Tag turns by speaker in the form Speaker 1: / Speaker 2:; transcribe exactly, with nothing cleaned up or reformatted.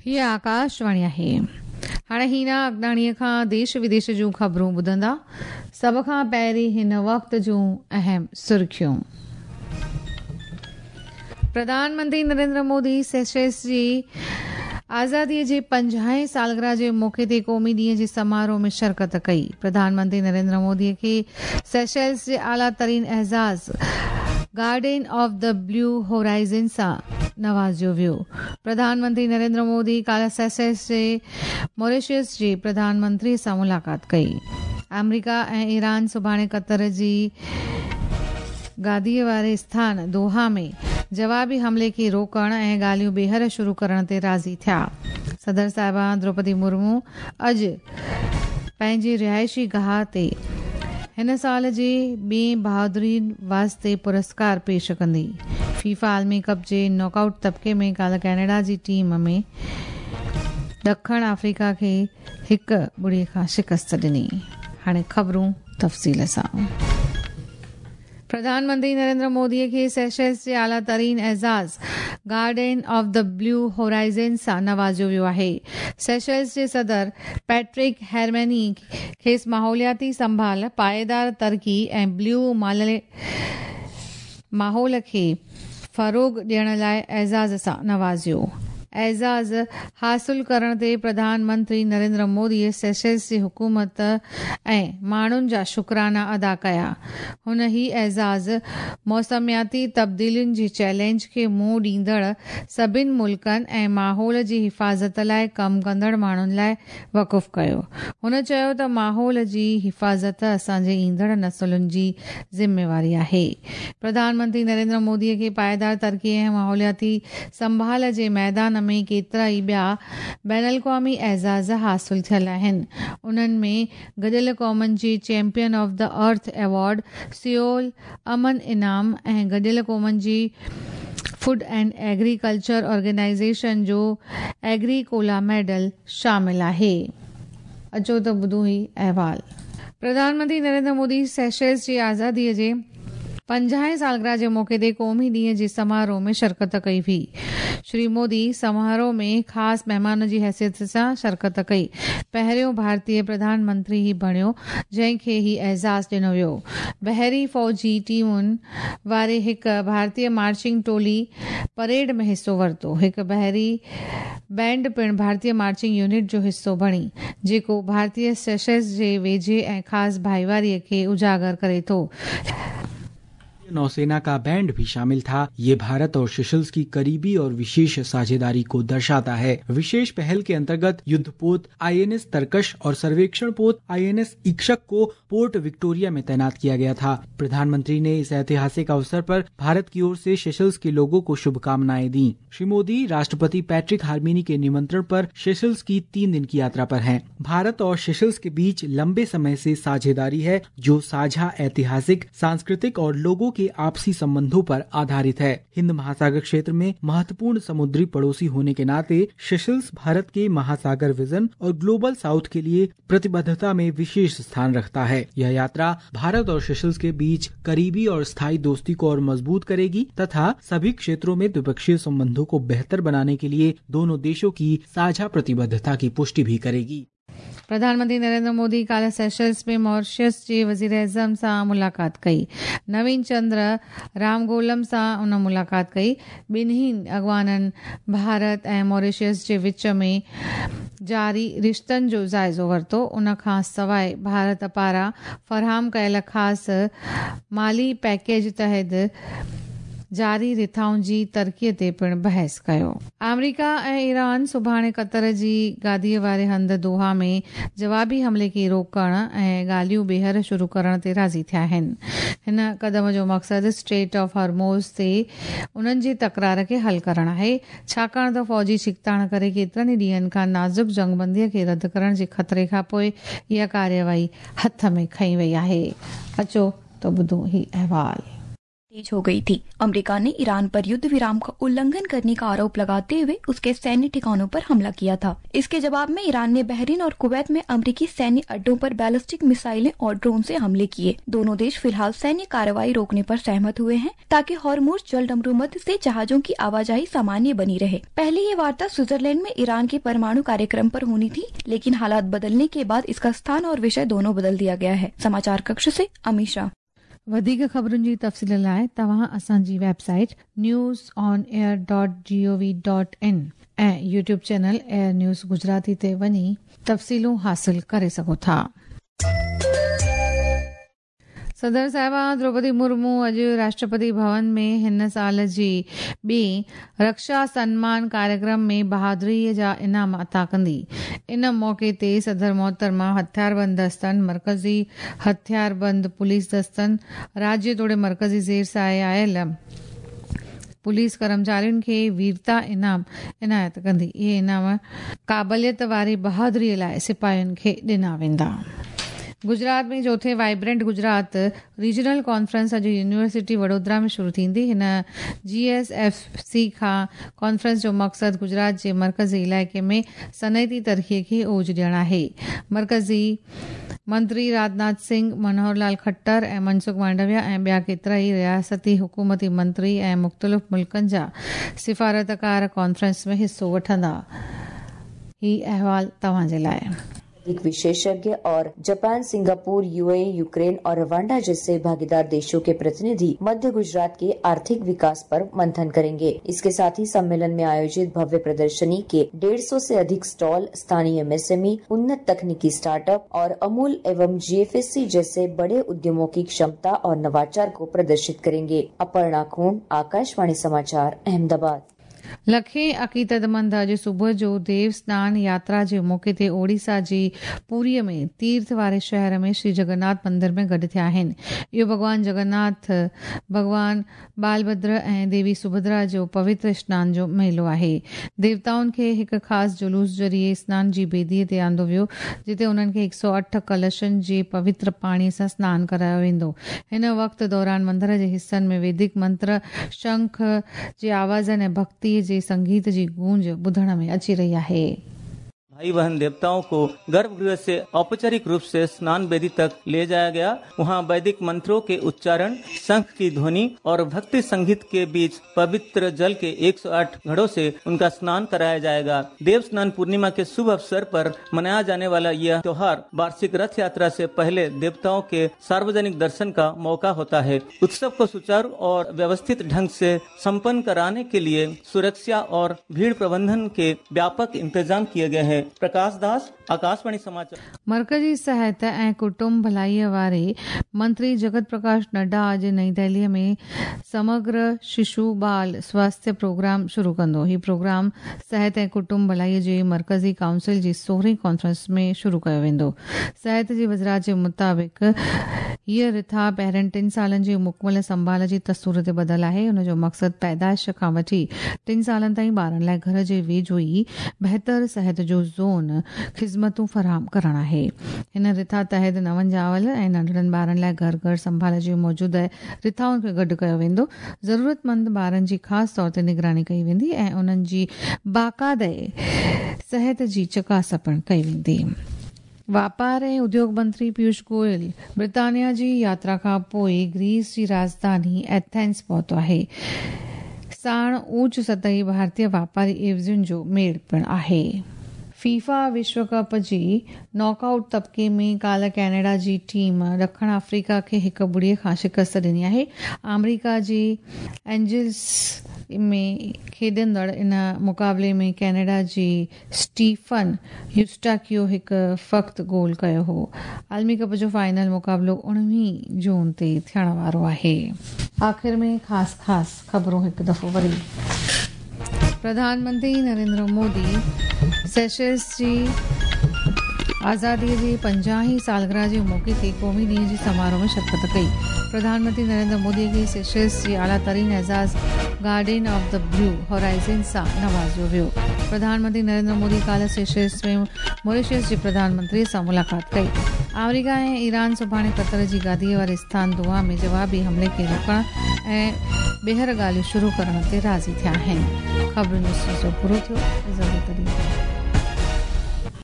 Speaker 1: हीअ आकाशवाणी आहे। हाणे हीना अगनाणीअ खां देश विदेश जूं ख़बरूं ॿुधंदा। सभ खां पहिरीं हिन वक़्त जूं अहम सुर्खियूं। प्रधानमंत्री नरेंद्र मोदी सेशल्स जी आज़ादीअ जे पंजाहें सालगिरह जे मौक़े ते क़ौमी ॾींहं जे समारोह में शिरकत कई। प्रधानमंत्री नरेंद्र मोदीअ खे सेशल्स जे आला तरीन एज़ाज़ Guardian of the Blue Horizon सां नवाज़ियो वियो। प्रधानमंत्री नरेंद्र मोदी काल्ह सेशल्स जे मॉरिशस जे प्रधानमंत्री सां मुलाक़ात कई। अमेरिका ऐं ईरान सुभाणे क़तर जी गादीअ वारे स्थान दोहा में जवाबी हमले खे रोकण ऐं ॻाल्हियूं ॿीहर शुरू करण ते राज़ी थिया। सदर साहिबा द्रौपदी मुर्मू अॼु पंहिंजी रिहाइशी गाह ते हिन साल जे ॿिए बहादुरी वास्ते पुरस्कार पेश कंदी। फीफा आलमी कप जे नॉकआउट तबके में काल्ह कनाडा जी टीम में ॾखण अफ्रीका खे हिकु ॿुड़ी खां शिकस्त ॾिनी। हाणे ख़बरूं तफ़सील सां। प्रधानमंत्री नरेंद्र मोदीअ खे सेशल्स जे आला तरीन एज़ाज़ Guardian of the Blue Horizon सां नवाज़ियो वियो आहे। सेशल्स जे सदर पैट्रिक हेरमेनी खेसि माहौलियाती संभाल, पाएदार तरक़ी ऐं ब्लू माहौल खे फ़रोग़ ॾियण लाइ एज़ाज़ सां नवाज़ियो। एज़ाज़ हासिल करण ते प्रधानमंत्री नरेंद्र मोदीअ सेशल्स जी हुकूमत ऐं माण्हुनि जा शुक्राना अदा कया। हुन ही एज़ाज़ मौसमियाती तब्दीलियुनि जे चैलेंज खे मुंहुं ॾींदड़ सभिनि मुल्कनि ऐं माहौल जी हिफ़ाज़त लाइ कमु कंदड़ माण्हुनि लाइ वक़ुफ़ कयो। हुन चयो त माहौल जी हिफ़ाज़त असांजे ईंदड़ नसलुनि जी ज़िम्मेवारी आहे। प्रधानमंत्री नरेंद्र मोदीअ खे पाएदार तरक़ी ऐं माहौलियाती संभाल जे मैदान में केतिरा ई ॿिया बैनुल अक़वामी एज़ाज़ हासिल थियल आहिनि। उन्हनि में गॾियल क़ौमनि जे Champion of the Earth award, Seoul Aman Inam ऐं गॾियल क़ौमनि जी फूड एंड एग्रीकल्चर ऑर्गेनाइज़ेशन जो एग्रीकोला मेडल शामिल आहे। अचो त ॿुधूं ही अहवाल। प्रधानमंत्री नरेंद्र मोदी सेशल्स जी आज़ादीअ जे पंजाहें सालगिरह जे मौक़े ते क़ौमी ॾींहं जे समारोह में शिरकत कई हुई। श्री मोदी समारोह में ख़ासि महिमान जी हैसियत सां शिरकत कई। पहिरियों भारतीय प्रधानमंत्री ही बणियो जंहिंखे ही एज़ाज़ ॾिनो वियो। बहरी फ़ौजी टीमुनि वारे हिकु भारतीय मार्चिंग टोली परेड में हिसो वरितो। हिकु बहरी बैंड पिणु भारतीय मार्चिंग यूनिट जो हिसो बणी, जेको भारतीय सेशल्स जे वेझे ऐं ख़ासि भाईवारीअ खे उजागर करे थो।
Speaker 2: नौसेना का बैंड भी शामिल था। ये भारत और सेशल्स की करीबी और विशेष साझेदारी को दर्शाता है। विशेष पहल के अंतर्गत युद्धपोत आईएनएस तरकश और सर्वेक्षण पोत आईएनएस इक्षक को पोर्ट विक्टोरिया में तैनात किया गया था। प्रधानमंत्री ने इस ऐतिहासिक अवसर पर भारत की ओर से सेशल्स के लोगों को शुभकामनाएं दी। श्री मोदी राष्ट्रपति पैट्रिक हार्मिनी के निमंत्रण पर सेशल्स की तीन दिन की यात्रा पर हैं। भारत और सेशल्स के बीच लंबे समय से साझेदारी है, जो साझा ऐतिहासिक, सांस्कृतिक और लोगों के आपसी संबंधों पर आधारित है। हिंद महासागर क्षेत्र में महत्वपूर्ण समुद्री पड़ोसी होने के नाते सेशल्स भारत के महासागर विजन और ग्लोबल साउथ के लिए प्रतिबद्धता में विशेष स्थान रखता है। यह यात्रा भारत और सेशल्स के बीच करीबी और स्थायी दोस्ती को और मजबूत करेगी तथा सभी क्षेत्रों में द्विपक्षीय संबंधों को बेहतर बनाने के लिए दोनों देशों की साझा प्रतिबद्धता की पुष्टि भी करेगी।
Speaker 1: प्रधानमंत्री नरेंद्र मोदी काल्ह सेशल्स में मॉरिशस जे वज़ीर आज़म सां मुलाक़ात कई। नवीन चंद्र रामगोलम सां उन मुलाक़ात कई। ॿिन्ही अॻवाननि भारत ऐं मॉरिशस जे विच में जारी रिश्तनि जो जाइज़ो वरितो। उन खां सवाइ भारत पारां फराहम कयल ख़ासि माली पैकेज तहत जारी रिथाउनि जी तरक़ीअ ते पिणु बहस कयो। अमेरिका ऐं ईरान सुभाणे क़तर जी गादीअ वारे हंधि दोहा में जवाबी हमले खे रोकण ऐं ॻाल्हियूं ॿीहर शुरू करण ते राज़ी थिया आहिनि। हिन क़दम जो मक़सदु स्ट्रेट ऑफ हॉर्मोज़ ते उन्हनि जी तकरार खे हल करणु आहे, छाकाणि त फ़ौजी छिकताण करे केतिरनि ई ॾींहंनि खां नाज़ुक जंगबंदीअ खे रद्द करण जे ख़तरे खां पोइ इहा कार्यवाही हथ में खई वई आहे। अचो त ॿुधूं ही अहवाल।
Speaker 3: तेज हो गई थी। अमेरिका ने ईरान पर युद्ध विराम का उल्लंघन करने का आरोप लगाते हुए उसके सैन्य ठिकानों पर हमला किया था। इसके जवाब में ईरान ने बहरीन और कुवैत में अमेरिकी सैन्य अड्डों पर बैलिस्टिक मिसाइलें और ड्रोन से हमले किए। दोनों देश फिलहाल सैन्य कार्रवाई रोकने पर सहमत हुए हैं ताकि हॉर्मुज जलडमरूमध्य से जहाजों की आवाजाही सामान्य बनी रहे। पहले ये वार्ता स्विट्जरलैंड में ईरान के परमाणु कार्यक्रम पर होनी थी, लेकिन हालात बदलने के बाद इसका स्थान और विषय दोनों बदल दिया गया है। समाचार कक्ष से अमीशा।
Speaker 1: वधीक ख़बरुनि जी तफ़सील लाइ तव्हां असांजी website news on air dot G O V dot in ऐं YouTube channel air news Gujarati ते वञी तफ़सीलूं हासिल करे सघो था। सदर साहिबा द्रौपदी मुर्मू अॼु राष्ट्रपति भवन में हिन साल जी ॿी रक्षा सन्मान कार्यक्रम में बहादुरीअ जा इनाम अता कंदी। इन मौक़े ते सदर मोहतरमा हथियारबंद दस्तनि, मर्कज़ी हथियारबंद पुलिस दस्तनि, राज्य तोड़े मर्कज़ी ज़ेर साए आयल पुलिस कर्मचारियुनि खे वीरता इनाम इनायत कंदी। इहे इनाम क़ाबिलियत वारी बहादुरीअ लाइ सिपाहियुनि खे ॾिना वेंदा। गुजरात में चौथे वाइब्रेंट गुजरात रीजनल कॉन्फ्रेंस अॼु यूनिवर्सिटी वडोदरा में शुरू थींदी। हिन जी एस एफ सी खां कॉन्फ्रेंस जो मक़सदु गुजरात जे मर्कज़ी इलाइक़े में सनअती तरक़ीअ खे ओज ॾियणु आहे। मर्कज़ी मंत्री राजनाथ सिंह, मनोहर लाल खट्टर ऐं मनसुख मांडविया ऐं ॿिया केतिरा ई रियासती हुकूमती मंत्री ऐं मुख़्तलिफ़ मुल्कनि जा सिफारतकार कॉन्फ्रेंस में हिसो वठंदा। हीउ अहिवाल तव्हांजे लाइ।
Speaker 4: एक विशेषज्ञ और जापान, सिंगापुर, यूएई, यूक्रेन और रवांडा जैसे भागीदार देशों के प्रतिनिधि मध्य गुजरात के आर्थिक विकास पर मंथन करेंगे। इसके साथ ही सम्मेलन में आयोजित भव्य प्रदर्शनी के डेढ़ सौ से अधिक स्टॉल स्थानीय एमएसएमई, उन्नत तकनीकी स्टार्टअप और अमूल एवं जीएफएससी जैसे बड़े उद्यमों की क्षमता और नवाचार को प्रदर्शित करेंगे। अपर्णा खून, आकाशवाणी समाचार, अहमदाबाद।
Speaker 1: लखे अक़ीदतमंद अॼु सुबुह जो देव स्नान यात्रा जे मौक़े ते ओडिशा जी पुरीअ में तीर्थ वारे शहर में श्री जगन्नाथ मंदिर में गॾु थिया आहिनि। इहो भॻवान जगन्नाथ, भॻवान बालभद्र ऐं देवी सुभद्रा जो पवित्र स्नान जो मेलो आहे। देवताउनि खे हिकु ख़ासि जुलूस ज़रिए स्नान जी बेदीअ ते आंदो वियो, जिते उन्हनि खे हिकु सौ अठ कलशनि जे पवित्र पाणीअ सां स्नान करायो वेंदो। हिन वक़्त दौरान मंदिर जे हिसनि में वैदिक मंत्र, शंख जे आवाज़नि ऐं भक्ति जे संगीत जी गूंज ॿुधण में अची रही आहे।
Speaker 5: भाई बहन देवताओं को गर्भगृह से औपचारिक रूप से स्नान वेदी तक ले जाया गया। वहां वैदिक मंत्रों के उच्चारण, शंख की ध्वनि और भक्ति संगीत के बीच पवित्र जल के एक सौ आठ घड़ों से उनका स्नान कराया जाएगा। देव स्नान पूर्णिमा के शुभ अवसर पर मनाया जाने वाला यह त्योहार वार्षिक रथ यात्रा से पहले देवताओं के सार्वजनिक दर्शन का मौका होता है। उत्सव को सुचारू और व्यवस्थित ढंग से सम्पन्न कराने के लिए सुरक्षा और भीड़ प्रबंधन के व्यापक इंतजाम किए गए हैं। प्रकाश दास, आकाशवाणी समाचार।
Speaker 1: मर्कज़ी सिहत ऐं कुटुंब भलाईअ वारे मंत्री जगत प्रकाश नड्डा अॼु नई दिल्लीअ में समग्र शिशु बाल स्वास्थ्य प्रोग्राम शुरू कंदो। हीउ प्रोग्राम सिहत ऐं कुटुंब भलाईअ जे मर्कज़ी काउंसिल जी सोरहीं कॉन्फ्रेंस में शुरू कयो वेंदो। सिहत जी वज़ारत जे मुताबिक़ हीअ रिथा पहिरियनि टिनि सालनि जी मुकमल संभाल जी तस्तूर ते ॿधल आहे। उन जो मक़सदु पैदाइश खां वठी टिनि सालनि ताईं ॿारनि लाइ घर जे वेझो ई बहितर सिहत जो ज़ोन ख़िज़मतूं फराहम करणु आहे। हिन रिथा तहत नवनि ॼावल ऐं नंढड़नि ॿारनि लाइ घर घर संभाल जी मौजूदा रिथाउनि खे गॾु कयो वेंदो। ज़रूरतमंद ॿारनि जी ख़ासि तौर ते निगरानी कई वेंदी ऐं उन्हनि जी बाक़ाइदे सिहत जी चकास पिणु कई वेंदी। वापार ऐं उद्योग मंत्री पीयूष गोयल ब्रितानिया जी यात्रा खां पोइ ग्रीस जी राजधानी एथेंस पहुतो आहे। साण ऊंच सतही भारतीय वापारी एवज़ियुनि जो मेड़ पिणु आहे। फीफा विश्व कप जी नॉकआउट तबके में काल्ह कनाडा जी टीम ॾखण अफ्रीका खे हिकु ॿुड़ीअ खां शिकस्त ॾिनी आहे। आमेरिका जी एंजल्स में खेॾंदड़ इन मुक़ाबले में कनाडा जी स्टीफन यूस्टाकियो हिकु फ़क़्त गोल कयो हो। आलमी कप जो फाइनल मुक़ाबिलो उणिवीह जून ते थियण वारो आहे। आख़िर में ख़ासि ख़ासि ख़बरूं हिकु दफ़ो वरी। प्रधानमंत्री नरेंद्र मोदी सेशल्स जी आज़ादीअ जी पंजाहीं सालगिरह जे मौक़े ते क़ौमी ॾींहं जे समारोह में शिरकत कई। प्रधानमंत्री नरेंद्र मोदी खे सेशल्स जी आला तरीन एज़ाज़ Guardian of the Blue Horizon सां नवाज़ियो वियो। प्रधानमंत्री नरेंद्र मोदी काल्ह सेशल्स में मॉरिशस जे प्रधानमंत्री सां मुलाक़ात कई। आमेरिका ऐं ईरान सुभाणे क़तर जी गादीअ वारे स्थान दोहा में जवाबी हमले खे रोकण ऐं ॿीहर ॻाल्हियूं शुरू करण ते राज़ी थिया आहिनि। ख़बरुनि जो सिलसिलो पूरो थियो। इजाज़त ॾियो।